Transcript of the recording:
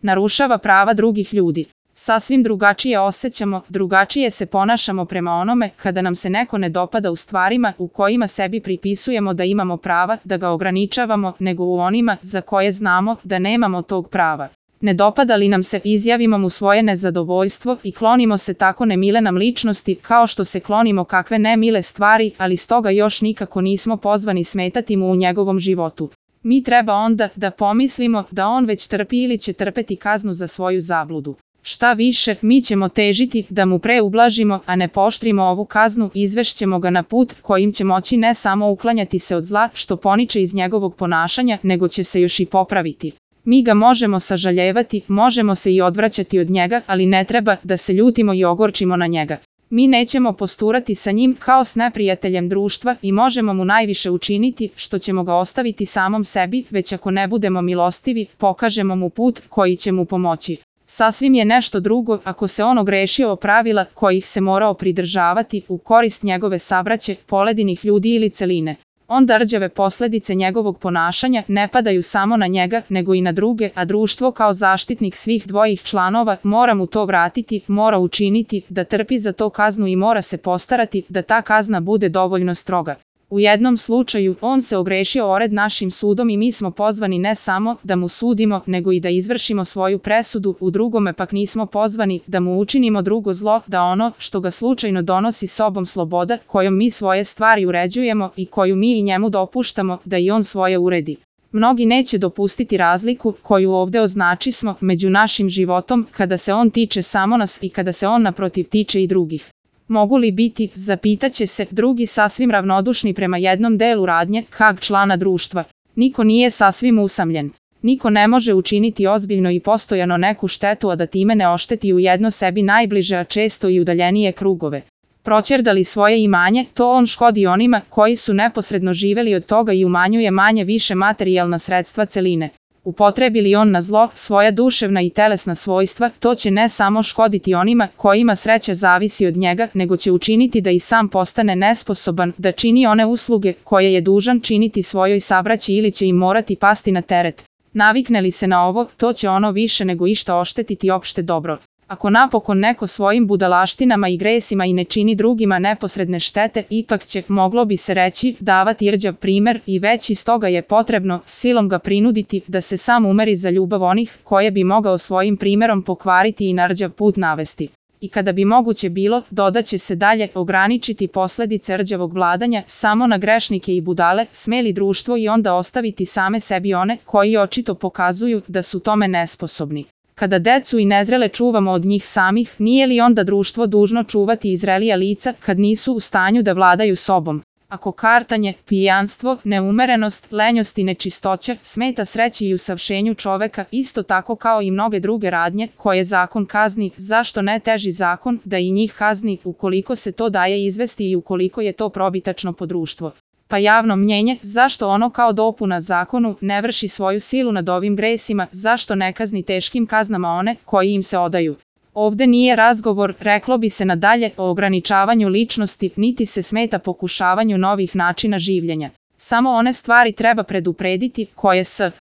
narušava prava drugih ljudi. Sasvim drugačije osjećamo, drugačije se ponašamo prema onome kada nam se neko ne dopada u stvarima u kojima sebi pripisujemo da imamo prava, da ga ograničavamo, nego u onima za koje znamo da nemamo tog prava. Ne dopada li nam se, izjavimo mu svoje nezadovoljstvo i klonimo se tako nemile nam ličnosti kao što se klonimo kakve nemile stvari, ali stoga još nikako nismo pozvani smetati mu u njegovom životu. Mi treba onda da pomislimo da on već trpi ili će trpeti kaznu za svoju zabludu. Šta više, mi ćemo težiti da mu pre ublažimo, a ne pooštrimo ovu kaznu, izvešćemo ga na put kojim će moći ne samo uklanjati se od zla što poniče iz njegovog ponašanja, nego će se još i popraviti. Mi ga možemo sažaljevati, možemo se i odvraćati od njega, ali ne treba da se ljutimo i ogorčimo na njega. Mi nećemo posturati sa njim kao s neprijateljem društva i možemo mu najviše učiniti što ćemo ga ostaviti samom sebi, već ako ne budemo milostivi, pokažemo mu put koji će mu pomoći. Sasvim je nešto drugo ako se on ogrešio o pravila kojih se morao pridržavati u korist njegove sabraće, poledinih ljudi ili celine. Onda rđave posledice njegovog ponašanja ne padaju samo na njega, nego i na druge, a društvo kao zaštitnik svih dvojih članova mora mu to vratiti, mora učiniti da trpi za to kaznu i mora se postarati da ta kazna bude dovoljno stroga. U jednom slučaju on se ogrešio o red našim sudom i mi smo pozvani ne samo da mu sudimo, nego i da izvršimo svoju presudu, u drugome pak nismo pozvani da mu učinimo drugo zlo, da ono što ga slučajno donosi sobom sloboda, kojom mi svoje stvari uređujemo i koju mi i njemu dopuštamo da i on svoje uredi. Mnogi neće dopustiti razliku koju ovde označismo među našim životom kada se on tiče samo nas i kada se on naprotiv tiče i drugih. Mogu li biti, zapitaće se, drugi sasvim ravnodušni prema jednom delu radnje, kag člana društva? Niko nije sasvim usamljen. Niko ne može učiniti ozbiljno i postojano neku štetu, a da time ne ošteti ujedno sebi najbliže, a često i udaljenije krugove. Proćerdali svoje imanje, to on škodi onima koji su neposredno živeli od toga i umanjuje manje više materijalna sredstva celine. Upotrebi li on na zlo svoja duševna i telesna svojstva, to će ne samo škoditi onima kojima sreća zavisi od njega, nego će učiniti da i sam postane nesposoban da čini one usluge koje je dužan činiti svojoj sabraći ili će im morati pasti na teret. Navikne li se na ovo, to će ono više nego išta oštetiti opšte dobro. Ako napokon neko svojim budalaštinama i gresima i ne čini drugima neposredne štete, ipak će, moglo bi se reći, davati rđav primer i već iz toga je potrebno silom ga prinuditi da se sam umeri za ljubav onih koje bi mogao svojim primerom pokvariti i na rđav put navesti. I kada bi moguće bilo, dodaće se dalje, ograničiti posledice rđavog vladanja samo na grešnike i budale, smeli društvo i onda ostaviti same sebi one koji očito pokazuju da su tome nesposobni. Kada decu i nezrele čuvamo od njih samih, nije li onda društvo dužno čuvati i zrelija lica kad nisu u stanju da vladaju sobom? Ako kartanje, pijanstvo, neumerenost, lenjost i nečistoća smeta sreći i usavšenju čoveka, isto tako kao i mnoge druge radnje koje zakon kazni, zašto ne teži zakon da i njih kazni ukoliko se to daje izvesti i ukoliko je to probitačno po društvo? Pa javno mnjenje, zašto ono kao dopuna zakonu ne vrši svoju silu nad ovim gresima, zašto ne kazni teškim kaznama one koji im se odaju? Ovde nije razgovor, reklo bi se nadalje, o ograničavanju ličnosti, niti se smeta pokušavanju novih načina življenja. Samo one stvari treba preduprediti koje s